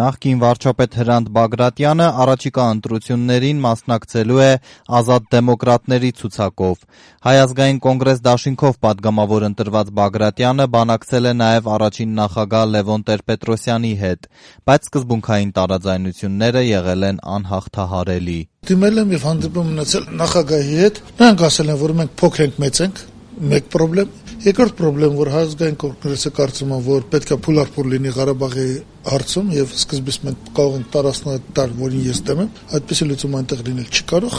Նախկին վարչապետ Հրանտ Բագրատյանը առաջիկա ընտրություններին մասնակցելու է Ազատ դեմոկրատների ցուցակով։ Հայ ազգային կոնգրես դաշինքով պատգամավոր ընտրված Բագրատյանը բանակցել է նաև առաջին նախագահ Լևոն Տեր-Պետրոսյանի հետ, բայց սկզբունքային տարաձայնությունները եղել են անհաղթահարելի։ Դիմել եմ եւ հանդիպում ունեցել նախագահի հետ, նրանք ասել են, որ մենք փոքր ենք, մեծ ենք, մեկ պրոբլեմ։ Երկրորդ պրոբլեմ, որ Հայ ազգային կոնգրեսը կարծում է, որ պետք է փուլարփուլ լինի Ղարաբաղի հարցում եւ սկզբից մենք կարող ենք տարածել տալ, որին ես դեմ եմ, այդպեսի լուծում այնտեղ լինել չի կարող։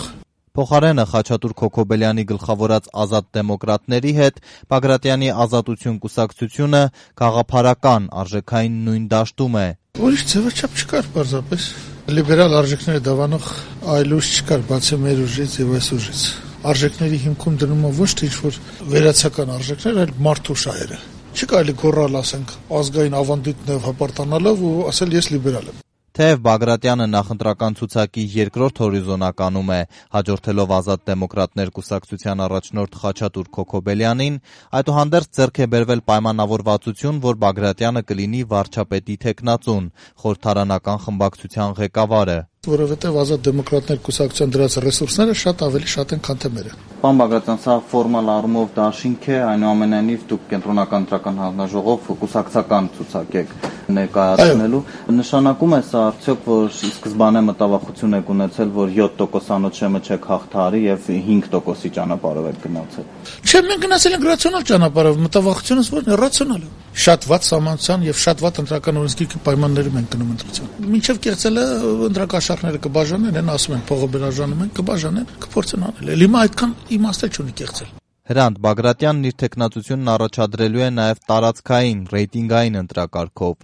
Փոխարենը Խաչատուր Քոքոբելյանի գլխավորած Ազատ դեմոկրատների հետ Բագրատյանի Ազատություն կուսակցությունը գաղափարական արժեքային նույն դաշտում է։ Ուրիշ ձևաչափ չկար պարզապես։ Լիբերալ արժեքները դավանող այլ ուժ չկար, բացի մեր ուժից եւ այս ուժից։ Արժեքների հիմքում դնում է ոչ թե ինչ-որ վերացական արժեքներ, այլ մարդու շահերը։ Չի կարելի գոռալ, ասենք, ազգային ավանդույթներով հպարտանալով ու ասել ես լիբերալ եմ։ Թեև Բագրատյանը նախընտրական ցուցակի երկրորդ հորիզոնականում է, հաջորդելով Ազատ դեմոկրատներ կուսակցության առաջնորդ Խաչատուր Քոքոբելյանին, այդուհանդերձ ձեռք է բերվել պայմանավորվածություն, որ Բագրատյանը կլինի վարչապետի թեկնածուն, խորհրդարանական խմբակցության ղեկավարը։ Որովհետև Ազատ դեմոկրատներ կուսակցության դրած ռեսուրսները շատ ավելի շատ են, քան թե մերը։ Պարոն Բագրատյան, սա ֆորմալ առումով դաշինք է, այնուամենայնիվ դուք կենտրոնական ընտրական հանձնաժողով կուսակցական ցուցակ եք ներկայացնելու։ Նշանակում է սա արդյոք, որ ի սկզբանե մտավախություն եք ունեցել, որ 7% անոթ չեք հաղթահարի եւ 5%-ի ճանապարհով եք գնացել։ Չէ, մենք գնացել ենք ռացիոնալ ճանապարհով, մտավախությունս որն է ռացիոնալ։ Շատ վատ սահմանության եւ շատ վատ ընտրական օրենսգիրքի պայմաններում ենք գնում ընտրության։ Մինչեւ կեղծելը ընտրակաշառքները կբաժանեն, են ասում են փողը բաժանում են, կբաժանեն, կփորձեն անել։ Հիմա այդքան իմաստ չունի կեղծել։ Հրանտ Բագրատյանն իր թեկնածությունն առաջադրելու է նաև տարածքային, ռեյտինգային ընտրակարգով։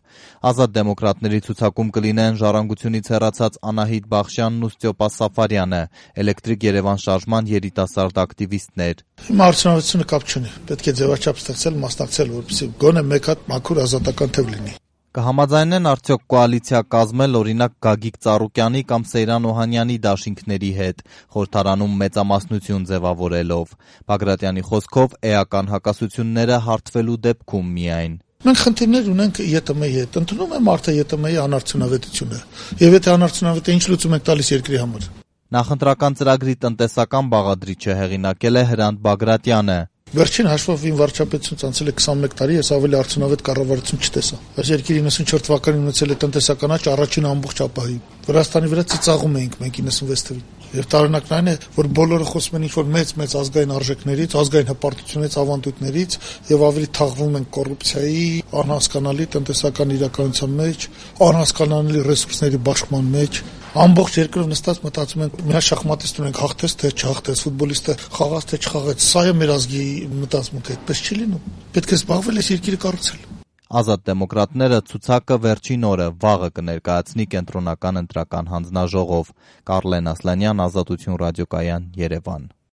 Ազատ դեմոկրատների ցուցակում կլինեն Ժառանգությունից հեռացած Անահիտ Բախշյանն ու Ստյոպա Սաֆարյանը, Էլեկտրիկ Երևան շարժման երիտասարդ ակտիվիստներ։ Հիմա արդյունավետությունը կապ չունի։ Պետք է ձևաչափ ստեղծել, մասնակցել, որպեսզի գոնե մեկ հատ մաքուր ազատական թև լինի։ Կհամաձայնեն արդյոք կոալիցիա կազմել օրինակ Գագիկ Ծառուկյանի կամ Սեյրան Օհանյանի դաշինքների հետ, խորհրդարանում մեծամասնություն ձևավորելով։ Բագրատյանի խոսքով էական հակասությունները հարթվելու դեպքում միայն։ Մենք խնդիրներ ունենք ԵՏՄ-ի հետ, ընդունում է մարդը ԵՏՄ-ի անարդյունավետությունը։ Եվ եթե անարդյունավետ է, ինչ լուծում ենք տալիս երկրի համար։ Նախընտրական ծրագրի տնտեսական բաղադրիչը հեղինակել է Հրանտ Բագրատյանը։ Վերջին հաշվով իմ վարչապետությունից անցել է 21 տարի, ես ավելի արդյունավետ կառավարություն չտեսա։ Այս երկիրը 94 թվականին ունեցել է տնտեսական աճ առաջին ամբողջ ապահի։ Վրաստանի վրա ծիծաղում էինք մենք 96 թվականին։ Եվ տարօրինակն այն է, որ բոլորը խոսում են ինչ-որ մեծ ազգային արժեքներից, ազգային հպարտությունից, ավանդույթներից եւ ավելի թաղվում են կոռուպցիայի, անհասկանալի տնտեսական իրականության մեջ, անհասկանալի ռեսուրսների բաշխման մեջ։ Ամբողջ երկրով նստած մտածում ենք, մի շախմատիստ ունենք, հաղթեց թե չհաղթեց, ֆուտբոլիստը խաղաց թե չխաղաց, սա է մեր ազգի մտածմունքը, այդպես չի լինում։ Պետք է զբաղվել այս երկիրը կառուցել։ Ազատ դեմոկրատները ցուցակը վերջին օրը վաղը կներկայացնի կենտրոնական ընտրական հանձնաժողով։ Կարլեն Ասլանյան, Ազատություն ռադիոկայան, Երևան։